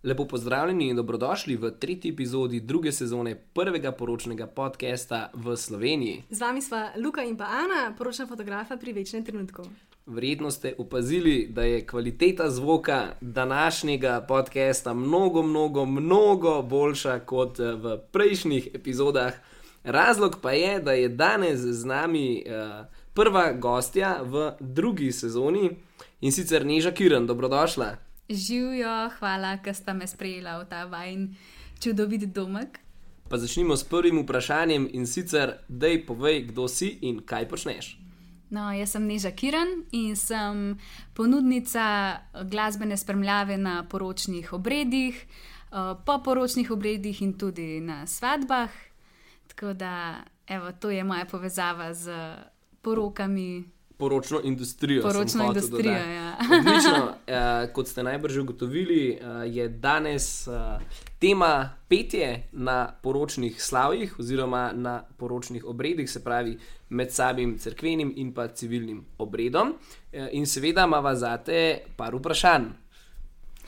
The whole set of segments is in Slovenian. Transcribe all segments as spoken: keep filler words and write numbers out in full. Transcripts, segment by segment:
Lepo pozdravljeni in dobrodošli v tretji epizodi druge sezone prvega poročnega podcasta v Sloveniji. Z vami sva Luka in pa Ana, poročna fotografa pri Večnem trenutku. Verjetno ste opazili, da je kvaliteta zvoka današnjega podcasta mnogo, mnogo, mnogo boljša kot v prejšnjih epizodah. Razlog pa je, da je danes z nami uh, prva gostja v drugi sezoni in sicer Neža Kirn. Dobrodošla. Živijo, hvala, ker sta me sprejela v ta vajn čudovit domek. Pa začnimo s prvim vprašanjem in sicer, dej povej, kdo si in kaj počneš. No, jaz sem Neža Kirn in sem ponudnica glasbene spremljave na poročnih obredih, po poročnih obredih in tudi na svadbah. Tako da, evo, to je moja povezava z porokami. Poročno industrijo. Poročno industrijo, ja. Odlično. Uh, kot ste najbrž ugotovili, uh, je danes uh, tema petje na poročnih slavjih oziroma na poročnih obredih, se pravi med samim cerkvenim in pa civilnim obredom. Uh, in seveda imava zate par vprašanj.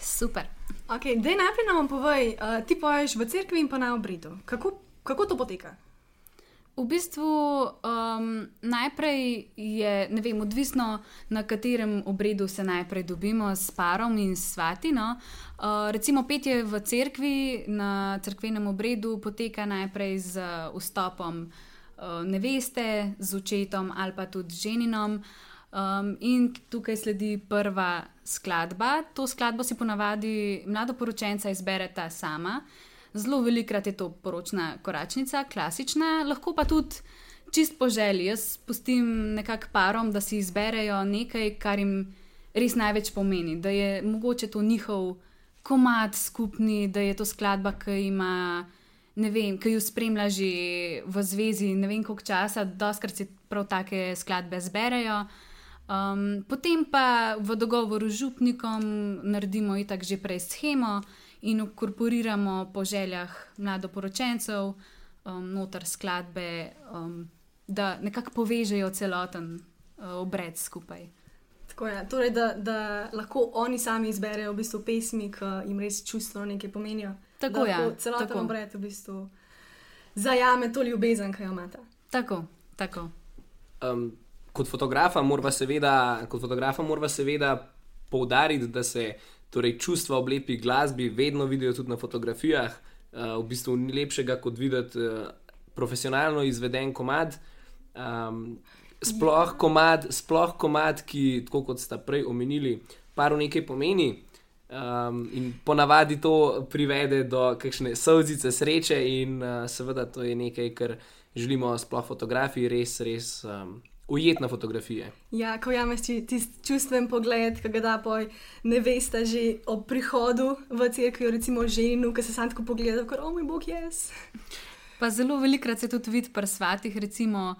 Super. Ok, daj najprej nam povej, uh, ti poješ v cerkvi in pa na obredu. Kako, kako to poteka? V bistvu um, najprej je, ne vem, odvisno na katerem obredu se najprej dobimo s parom in svati. No? Uh, recimo petje v cerkvi na cerkvenem obredu poteka najprej z vstopom uh, neveste, z očetom ali pa tudi ženinom. Um, in tukaj sledi prva skladba. To skladbo si ponavadi mladoporočenca izbereta sama. Zelo velikrat je to poročna koračnica, klasična, lahko pa tudi čist po želji. Jaz pustim nekako parom, da si izberejo nekaj, kar jim res največ pomeni. Da je mogoče to njihov komad skupni, da je to skladba, ki ima, ne vem, ki jo spremlja že v zvezi ne vem koliko časa, dostakrat si prav take skladbe zberejo. Um, potem pa v dogovoru z župnikom naredimo itak že prej shemo in ukorporiramo po željah mladoporočencev um, noter skladbe, um, da nekako povežejo celoten uh, obred skupaj. Tako je, torej da, da lahko oni sami izberejo v bistvu pesmi, ki jim res čustveno nekaj pomenijo. Tako je. Da lahko celoten tako. Obred v bistvu zajame to ljubezen, ki jo imata. Tako, tako. Um, kot fotografa morava seveda, kot fotografa morava seveda poudariti, da se torej čustva ob lepi glasbi vedno vidijo tudi na fotografijah. Uh, v bistvu ni lepšega kot videti uh, profesionalno izveden komad. Um, sploh ja. komad, sploh komad, ki, tako kot sta prej omenili, paru nekaj pomeni. Um, in ponavadi to privede do kakšne solzice sreče in uh, seveda to je nekaj, kar želimo sploh fotografiji res, res um, ujet na fotografije. Ja, ko jameš tisti čustven pogled, ki ga da poj nevesta že ob prihodu v cerkvi, recimo ženu, ki se sam tako pogleda, kot o moj bog, jaz. Pa zelo velikrat se tudi vidi pri svatih, recimo,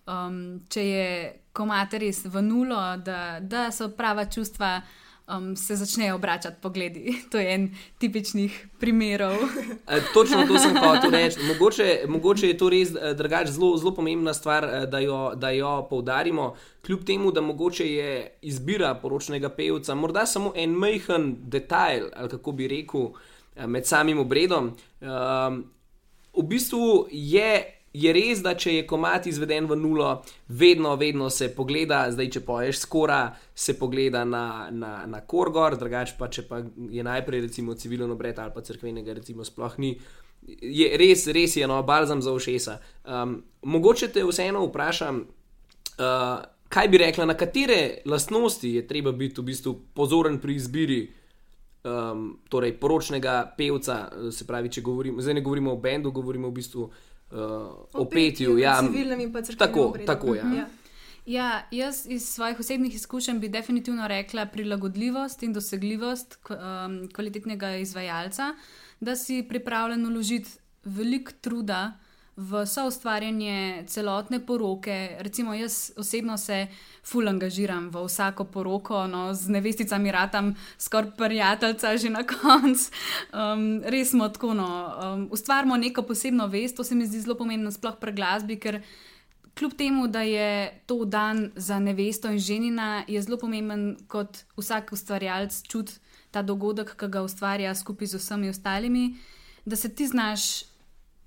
um, če je komad res v nulo, da, da so prava čustva, um, se začnejo obračati pogledi. To je en tipičnih primerov. E, točno to sem hotel reči. Mogoče, mogoče je to res drugače zelo, zelo pomembna stvar, da jo, da jo poudarimo. Kljub temu, da mogoče je izbira poročnega pevca morda samo en majhen detajl, ali kako bi rekel, med samim obredom. Um, v bistvu je Je res, da če je komad izveden v nulo, vedno, vedno se pogleda, zdaj če poješ skora, se pogleda na, na, na korgor, drugače pa če pa je najprej recimo civilen obred ali pa cerkvenega recimo sploh ni, je res, res je no, balzam za ušesa. Um, mogoče te vseeno vprašam, uh, kaj bi rekla, na katere lastnosti je treba biti v bistvu pozoren pri izbiri um, torej poročnega pevca, se pravi, če govorimo, zdaj ne govorimo o bendu, govorimo v bistvu Uh, o petju, ja, civilnem in pa cerkvenem tako, obredu. tako, ja. Ja. Ja, jaz iz svojih osebnih izkušenj bi definitivno rekla prilagodljivost in dosegljivost um, kvalitetnega izvajalca, da si pripravljen vložiti veliko truda v soustvarjanje celotne poroke. Recimo jaz osebno se ful angažiram v vsako poroko, no, z nevesticami ratam skoraj prijateljca že na koncu. Um, res smo tako, no, um, ustvarimo neko posebno vest, to se mi zdi zelo pomembno sploh pri glasbi, ker kljub temu, da je to dan za nevesto in ženina, je zelo pomemben, kot vsak ustvarjalec čuti ta dogodek, ki ga ustvarja skupaj z vsemi ostalimi, da se ti znaš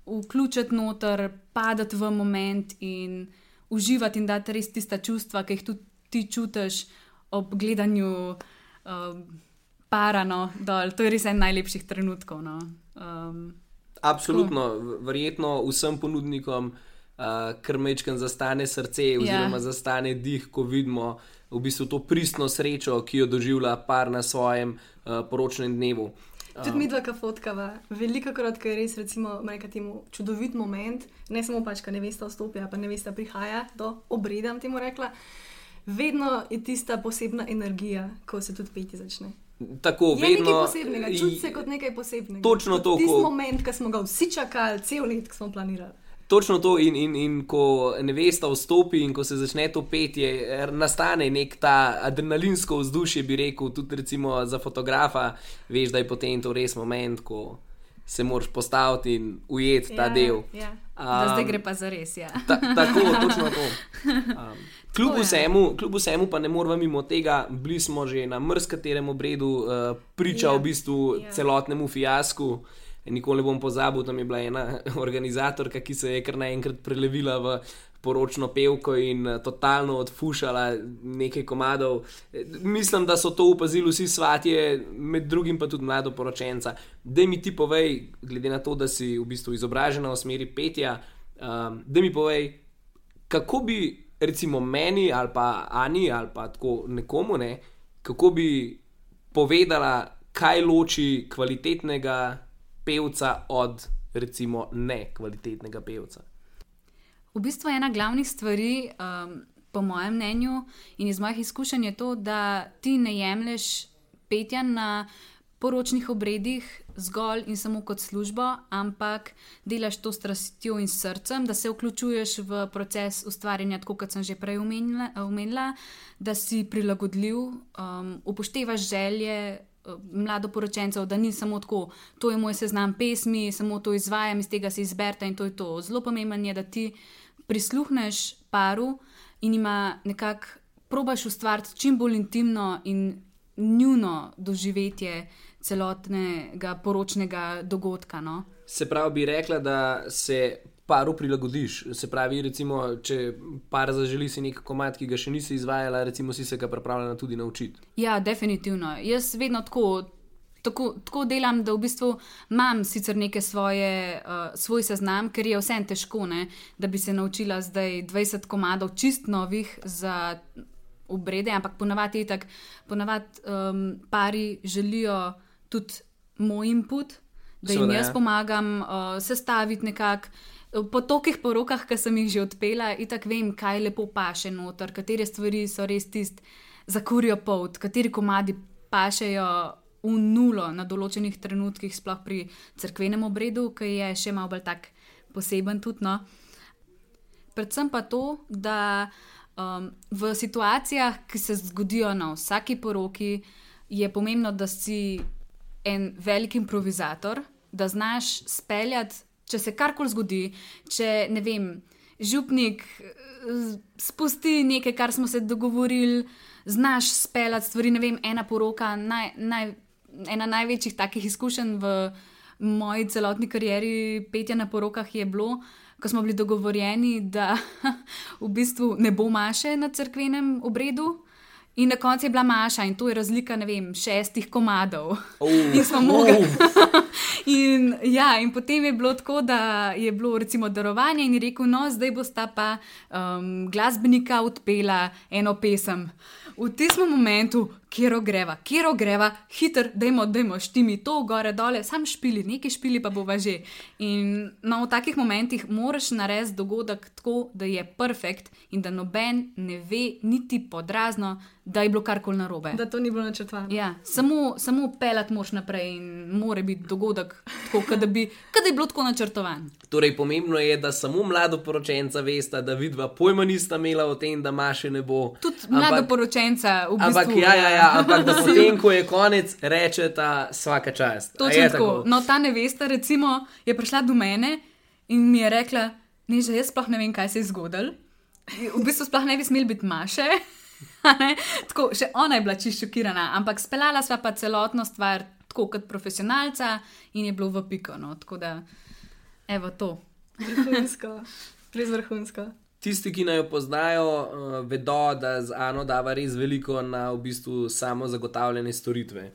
vključiti noter, padati v moment in uživati in dati res tista čustva, ki jih tudi ti čutiš ob gledanju uh, parano dol. To je res en najlepših trenutkov. No. Um, Absolutno, tako. Verjetno vsem ponudnikom uh, kar mečkam zastane srce oziroma ja. zastane dih, ko vidimo v bistvu to pristno srečo, ki jo doživlja par na svojem uh, poročnem dnevu. Tudi mi dva, ka fotkava, veliko krat, ko je res, recimo, temu čudovit moment, ne samo pač, ko nevesta vstopi, pa nevesta prihaja do obreda, temu rekla, vedno je tista posebna energija, ko se tudi petje začne. Tako, je vedno, nekaj posebnega, čuti se kot nekaj posebnega. Točno to, tisti ko... moment, ko smo ga vsi čakali, cel let, ko smo planirali. Točno to in, in, in ko nevesta vstopi in ko se začne to petje, nastane nek ta adrenalinsko vzdušje, bi rekel, tudi recimo za fotografa, veš, da je potem to res moment, ko se moraš postaviti in ujeti ta ja, del. Ja. Um, da zdaj gre pa za res, ja. Ta, tako, točno to. Um, kljub, vsemu, kljub vsemu pa ne moramo mimo tega, bili smo že na mrzkaterem obredu uh, priča ja. v bistvu ja. celotnemu fiasku. Nikoli ne bom pozabil, tam je bila ena organizatorka, ki se je kar naenkrat prelevila v poročno pevko in totalno odfušala nekaj komadov. Mislim, da so to opazili vsi svatje, med drugim pa tudi mladoporočenca. Daj mi ti povej, glede na to, da si v bistvu izobražena v smeri petja, um, daj mi povej, kako bi recimo meni ali pa Ani ali pa tako nekomu, ne, kako bi povedala, kaj loči kvalitetnega pevca od recimo nekvalitetnega pevca. V bistvu ena glavnih stvari, um, po mojem mnenju in iz mojih izkušenj je to, da ti ne jemlješ petja na poročnih obredih zgolj in samo kot službo, ampak delaš to s strastjo in srcem, da se vključuješ v proces ustvarjanja, tako kot sem že prej omenila, omenila da si prilagodljiv, um, upoštevaš želje mladoporočencev, da ni samo tako, to je moj seznam pesmi, samo to izvajam, iz tega se izberta in to je to. Zelo pomembno je, da ti prisluhneš paru in ima nekako, probaš ustvariti čim bolj intimno in njuno doživetje celotnega poročnega dogodka. No? Se pravi, bi rekla, da se paru prilagodiš. Se pravi, recimo, če par zaželi si nek komad, ki ga še nisi izvajala, recimo si se ga pripravljena tudi naučiti. Ja, definitivno. Jaz vedno tako, tako, tako delam, da v bistvu imam sicer neke svoje, uh, svoj seznam, ker je vsem težko, ne, da bi se naučila zdaj dvajset komadov čist novih za obrede, ampak ponavadi je tak, ponavadi um, pari želijo tudi moj input, da jim jaz pomagam uh, sestaviti nekako. Po tokih porokah, ki sem jih že odpela, itak vem, kaj lepo paše noter, katere stvari so res tist za kurjo polt, kateri komadi pašejo v nulo na določenih trenutkih, sploh pri cerkvenem obredu, ki je še malo bolj tak poseben tudi, no. Predvsem pa to, da um, v situacijah, ki se zgodijo na vsaki poroki, je pomembno, da si en velik improvizator, da znaš speljati, če se karkoli zgodi, če, ne vem, župnik spusti nekaj, kar smo se dogovorili, znaš speljati stvari, ne vem, ena poroka, naj, naj, ena največjih takih izkušenj v moji celotni karieri petja na porokah je bilo, ko smo bili dogovorjeni, da v bistvu ne bo maše na cerkvenem obredu. In na koncu je bila maša in to je razlika, ne vem, šestih komadov. Oh, in smo mogli. oh. in, ja, in potem je bilo tako, da je bilo recimo darovanje in je rekel, no, zdaj bosta pa um, glasbenika odpela eno pesem. V tistem momentu, kjero greva, kjero greva, hiter, dajmo, dajmo, štimi to, gore, dole, sam špili, nekaj špili pa bova že. In no, v takih momentih moraš narediti dogodek tako, da je perfekt in da noben ne ve niti podrazno, da je bilo karkoli narobe. Da to ni bilo načrtovano. Ja, samo, samo pelat moš naprej in mora biti dogodek tako, kada bi, kada je bilo tako načrtovan. Torej, pomembno je, da samo mladoporočenca vesta, da vidva pojma nista imela o tem, da maše ne bo. Tudi mladoporočenca v bistvu. Ampak, ja, ja, ja, ampak da potem, ko je konec, reče ta svaka čast. Točno tako. tako. No, ta nevesta recimo je prišla do mene in mi je rekla, ne, že jaz sploh ne vem, kaj se je zgodilo. v bistvu sploh ne bi smeli biti Maše. Tako, še ona je bila čisto šokirana, ampak speljala sva pa celotno stvar tako kot profesionalca in je bilo v piko. No. Tako da, evo to. Vrhunsko, res vrhunsko. Tisti, ki naj jo poznajo, uh, vedo, da z Ano dava res veliko na v bistvu samo zagotavljanje storitve.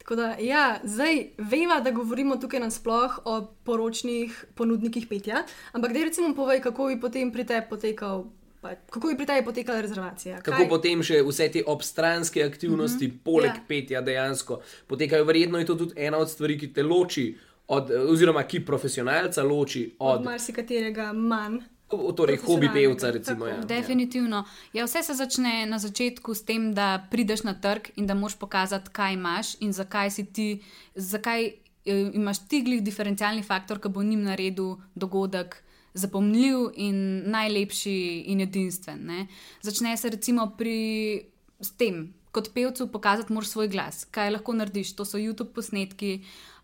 Tako da, ja, zdaj veva, da govorimo tukaj nasploh o poročnih ponudnikih petja, ampak daj recimo povej, kako bi potem pri tebi potekal, pa, kako bi pri tebi potekala rezervacija. Kako Kaj? potem še vse te obstranske aktivnosti, mm-hmm. poleg Ja. petja dejansko potekajo. Verjetno je to tudi ena od stvari, ki te loči, od, oziroma ki profesionalca loči Od od, marsikaterega manj. od torej hobi pevca, profesionalnega, recimo. tako. Ja. Definitivno. Ja, vse se začne na začetku s tem, da prideš na trg in da moraš pokazati, kaj imaš in zakaj si ti, zakaj eh, imaš ti glih diferencialni faktor, ki bo njim naredil dogodek zapomljiv in najlepši in edinstven. Ne? Začne se recimo pri s tem, kot pevcu pokazati moraš svoj glas, kaj lahko narediš. To so YouTube posnetki.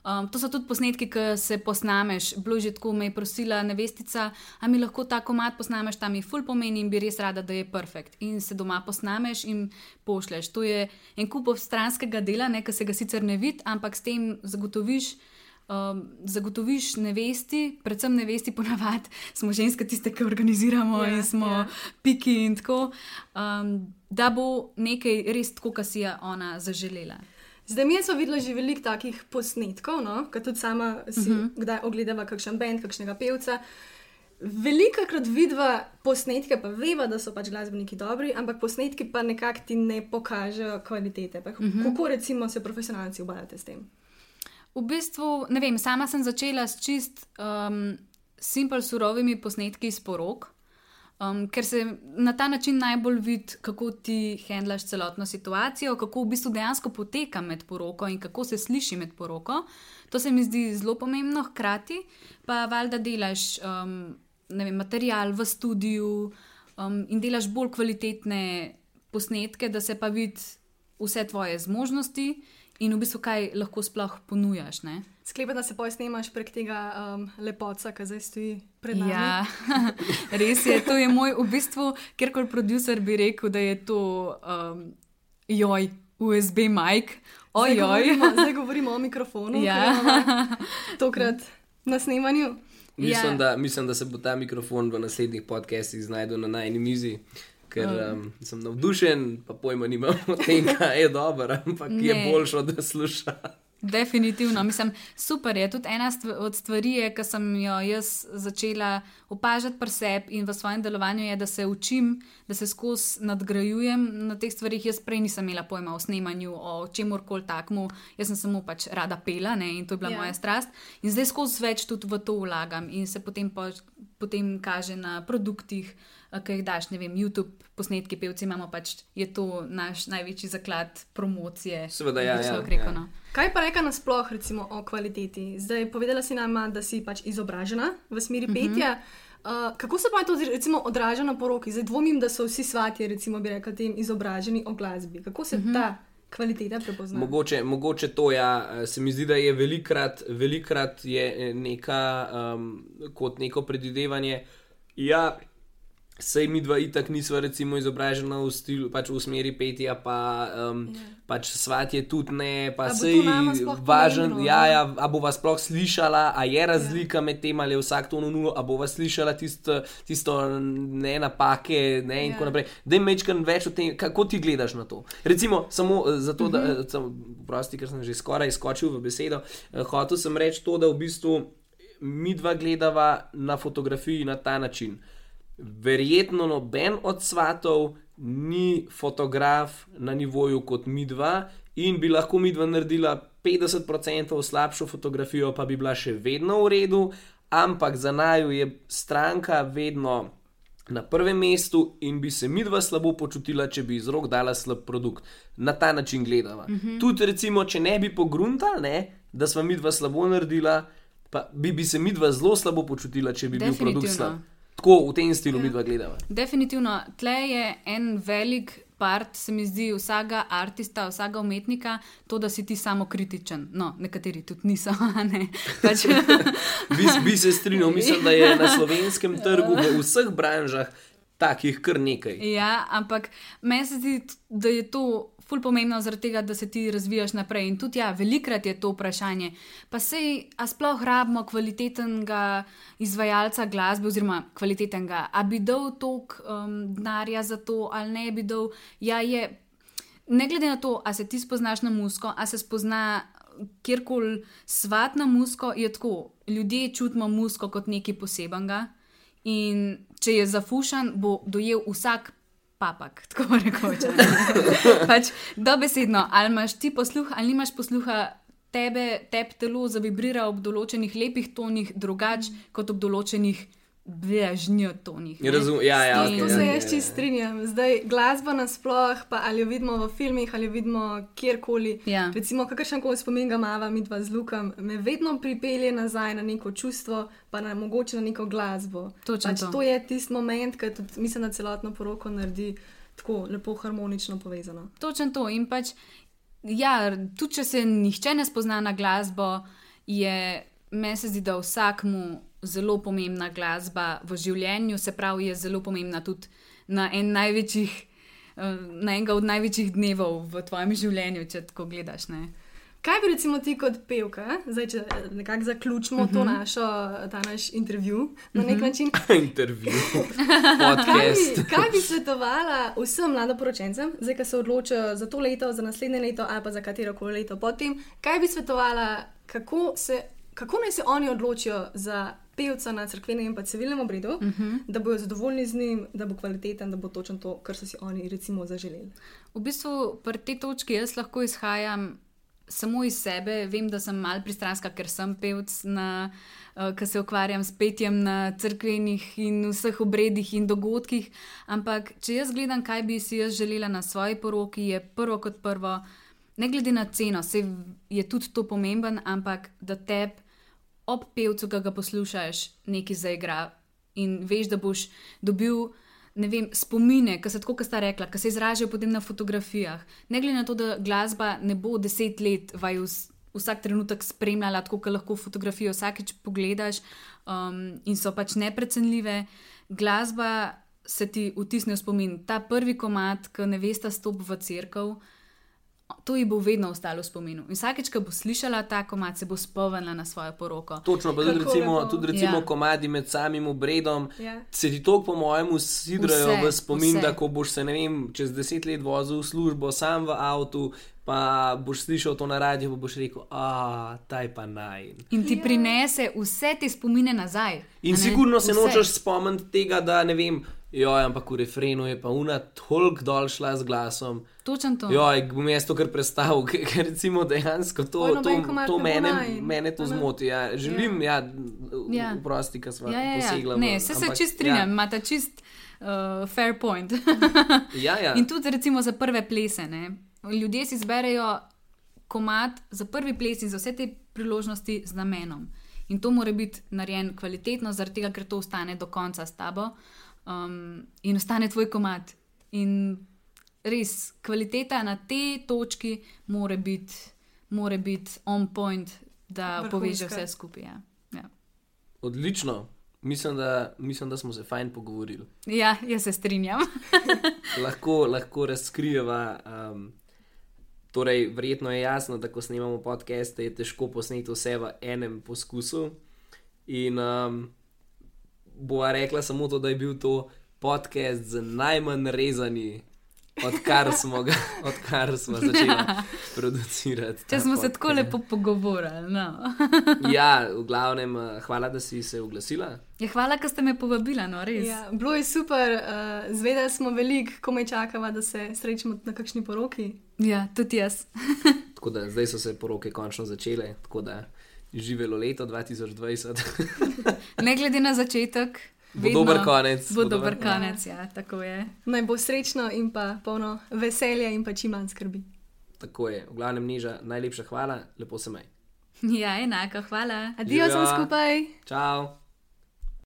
Um, to so tudi posnetki, ki se posnameš. Bilo že tako, me je prosila nevestica, a mi lahko ta komad posnameš, tam je ful pomeni in bi res rada, da je perfekt. In se doma posnameš in pošleš. To je en kup stranskega dela, ne, ki se ga sicer ne vidi, ampak s tem zagotoviš, um, zagotoviš nevesti, predvsem nevesti ponavadi, smo ženske tiste, ki organiziramo Ja, in smo ja. piki in tako, um, da bo nekaj res tako, kar si je ona zaželela. Zdaj, mi smo videli že veliko takih posnetkov, no? Ker tudi sama si uh -huh. kdaj ogledava kakšen band, kakšnega pevca. Velikokrat vidva posnetke, pa veva, da so pač glasbeniki dobri, ampak posnetki pa nekako ti ne pokažejo kvalitete. Pa, uh -huh. Kako recimo se profesionalci ubadate s tem? V bistvu, ne vem, sama sem začela s čist um, simpel surovimi posnetki iz porok, um, ker se na ta način najbolj vidi, kako ti handlaš celotno situacijo, kako v bistvu dejansko poteka med poroko in kako se sliši med poroko. To se mi zdi zelo pomembno, hkrati pa valjda delaš um, ne vem, material v studiu um, in delaš bolj kvalitetne posnetke, da se pa vidi vse tvoje zmožnosti in v bistvu kaj lahko sploh ponujaš. Ne? Sklepam, da se poj snemaš prek tega um, lepotca, ki zdaj stoji pred nami. Ja, res je, to je moj, v bistvu, kjerkoli producer bi rekel, da je to um, joj, U S B mic, Zdaj ojoj. govorimo, zdaj govorimo o mikrofonu, Ja. ki imamo tokrat na snemanju. Mislim, Ja. da, mislim, da se bo ta mikrofon v naslednjih podcastih znašel na najni mizi, ker um, sem navdušen, pa pojma nimam o tem, kaj je dobro, ampak ne. Je Ne. boljše, da sluša. Definitivno, mislim, super je. Tudi ena stv od stvari, je, ki sem jo jaz začela opažati pri sebi in v svojem delovanju, je, da se učim, da se skozi nadgrajujem na teh stvarih. Jaz prej nisem imela pojma o snemanju, o čemurkoli takmu, jaz sem samo pač rada pela, ne, in to je bila Ja. moja strast. In zdaj skozi več tudi v to vlagam in se potem, po, potem kaže na produktih, ki jih daš, ne vem, YouTube posnetki, pevci imamo pač, je to naš največji zaklad promocije. Seveda, ja, bi ja, človek rekel, ja. no. Kaj pa reka nasploh recimo o kvaliteti? Zdaj, povedala si nama, da si pač izobražena v smeri petja. Uh, kako se pa to recimo odraža na poroki? Zdaj dvomim, da so vsi svatje, recimo bi rekla, tem izobraženi o glasbi. Kako se ta kvaliteta prepozna? Mogoče, mogoče to, ja, se mi zdi, da je velikrat, velikrat je neka, um, kot neko predvidevanje. Ja, sej mi dva itak nisva recimo izobražena v, stilu, pač v smeri petja, pa um, Ja. pač svatje tudi ne, pa A bo to sej nama sploh važen, pomembno, ja, ne? ja, a bova sploh slišala, a je razlika med tem, ali je vsak ton v nulo, a bova slišala tisto, tisto ne napake, ne, in Ja. tako naprej. Daj mečkan več o tem, kako ti gledaš na to. Recimo, samo eh, zato, da, uh -huh. prosti, ker sem že skoraj skočil v besedo, eh, hotel sem reči to, da v bistvu mi dva gledava na fotografiji na ta način. Verjetno noben od svatov ni fotograf na nivoju kot mi dva in bi lahko mi dva naredila petdeset procentov slabšo fotografijo, pa bi bila še vedno v redu, ampak za naju je stranka vedno na prvem mestu in bi se mi dva slabo počutila, če bi iz rok dala slab produkt. Na ta način gledava. Mm-hmm. Tudi recimo, če ne bi pogruntali, ne, da sva mi dva slabo naredila, pa bi, bi se mi dva zelo slabo počutila, če bi bil produkt slab. Tako v tem stilu mi dva gledava. Definitivno, tle je en velik part, se mi zdi, vsakega artista, vsakega umetnika, to, da si ti samokritičen. No, nekateri tudi niso, a ne. Pač, Bi, bi se strinjal, mislim, da je na slovenskem trgu v vseh branžah takih kar nekaj. Ja, ampak meni se zdi, da je to ful pomembno zaradi tega, da se ti razvijaš naprej. In tudi ja, velikrat je to vprašanje. Pa sej, a sploh rabimo kvalitetnega izvajalca glasbe oziroma kvalitetnega, a bi dal toliko um, denarja za to ali ne bi dal. Ja, je, ne glede na to, a se ti spoznaš na muziko, a se spozna kjerkoli svat na muziko, je tako. Ljudje čutimo muziko kot nekaj posebenega in če je zafušan, bo dojel vsak papak, tako rekoč. Pač dobesedno, ali imaš ti posluh, ali nimaš posluha, tebe, teb telo zavibrira ob določenih lepih tonih, drugač kot ob določenih bležnjo tonih. Razum, ja, ja, To okay, se ja, jaz ja, čist strinjam. Zdaj, glasba nasploh, pa ali jo vidimo v filmih, ali jo vidimo kjerkoli. Ja. Recimo, kakršen koli spomin ga imava midva z Lukom, me vedno pripelje nazaj na neko čustvo, pa na mogoče na neko glasbo. Točno pač to. to je tisti moment, ki tudi mislim, da celotno poroko naredi tako lepo harmonično povezano. Točno to. In pač, ja, tudi če se nihče ne spozna na glasbo, je, meni se zdi, da vsakmu zelo pomembna glasba v življenju, se pravi, je zelo pomembna tudi na, en največjih, na enega od največjih dnevov v tvojem življenju, če tako gledaš. Ne? Kaj bi recimo ti kot pevka, zdaj če nekako zaključimo uh -huh. to našo, ta naš intervju na nek uh -huh. način? Intervju, Kaj podcast. bi, kaj bi svetovala vsem mladoporočencem, zdaj, ki se odločajo za to leto, za naslednje leto ali pa za katero koli leto potem, kaj bi svetovala, kako, se, kako naj se oni odločijo za pevca na cerkvenem in pa civilnem obredu, uh -huh. da bojo zadovoljni z njim, da bo kvaliteten, da bo točno to, kar so si oni recimo zaželeli. V bistvu pri tej točki jaz lahko izhajam samo iz sebe. Vem, da sem mal pristranska, ker sem pevc, na, uh, ki se ukvarjam s petjem na cerkvenih in vseh obredih in dogodkih, ampak če jaz gledam, kaj bi si jaz želela na svoji poroki, je prvo kot prvo, ne glede na ceno, se je tudi to pomemben, ampak da teb ob pevcu, ki ga poslušaš, nekaj zaigra in veš, da boš dobil, ne vem, spomine, ki se tako, kot sta rekla, ki se izražajo potem na fotografijah. Ne glede na to, da glasba ne bo deset let vaju vsak trenutek spremljala, tako kot lahko fotografijo vsakič pogledaš um, in so pač neprecenljive. Glasba se ti vtisne v spomin. Ta prvi komad, ki nevesta stopi v cerkev, to ji bo vedno ostalo v spominu. In vsakeč, ko bo slišala ta komad, se bo spomnila na svojo poroko. Točno, pa tudi Kako recimo, lepo. tudi recimo Ja. komadi med samim obredom, Ja. se ti to po mojem usidrajo Vse, v spomin, vse. da ko boš se, ne vem, čez deset let vozil v službo, sam v avtu, pa boš slišal to na radiju, pa boš rekel, a taj pa naj. In ti Ja. prinese vse te spomine nazaj. In a ne? sigurno se Vse. nočeš spomniti tega, da ne vem, joj, ampak v refrenu je pa una toliko dol šla z glasom. Točno to. Joj, bom jaz to kar predstavil, ker ker recimo dejansko to, Poj, to, noben komad to ne bo mene, najin, mene to a ne? zmoti. Ja. Želim, ja, Ja. vprosti, ker smo Ja, ja, ja. posegla. v- Ne, se se ampak, čist strinjam, imate čist uh, fair point. Ja, ja. In tudi recimo za prve plese. Ne? Ljudje si zberejo komad za prvi ples in za vse te priložnosti z namenom. In to mora biti narejen kvalitetno, zaradi tega, ker to ostane do konca s tabo um, in ostane tvoj komad. In res, kvaliteta na tej točki mora biti mora biti on point, da Vrhunska. poveže vse skupaj. Ja. Ja. Odlično. Mislim da, mislim, da smo se fajn pogovorili. ja, jaz se strinjam. Lahko, lahko razkrijeva. Um, torej, verjetno je jasno, da ko snemamo podcaste, je težko posneti vse v enem poskusu. In um, bova rekla samo to, da je bil to podcast z najmanj rezani, odkar smo, ga, odkar smo začeli producirati. ta Če smo se podcast. tako lepo pogovorili. No. Ja, v glavnem, uh, hvala, da si se oglasila. Ja, hvala, da ste me povabili, no res. Ja, bilo je super, uh, zvedeli smo veliko, komaj čakava, da se srečamo na kakšni poroki. Ja, tudi jaz. Tako da zdaj so se poroke končno začele, tako da živelo leto dva tisoč dvajset. Ne glede na začetek, Bo vedno dober konec. Bo bo dober dober- konec, ja, tako je. Naj bo srečno in pa polno veselja in pa čim manj skrbi. Tako je, v glavnem niža, najlepša hvala, lepo se maj. Ja, enako, hvala. Adijo Živjo. sem skupaj! Čau!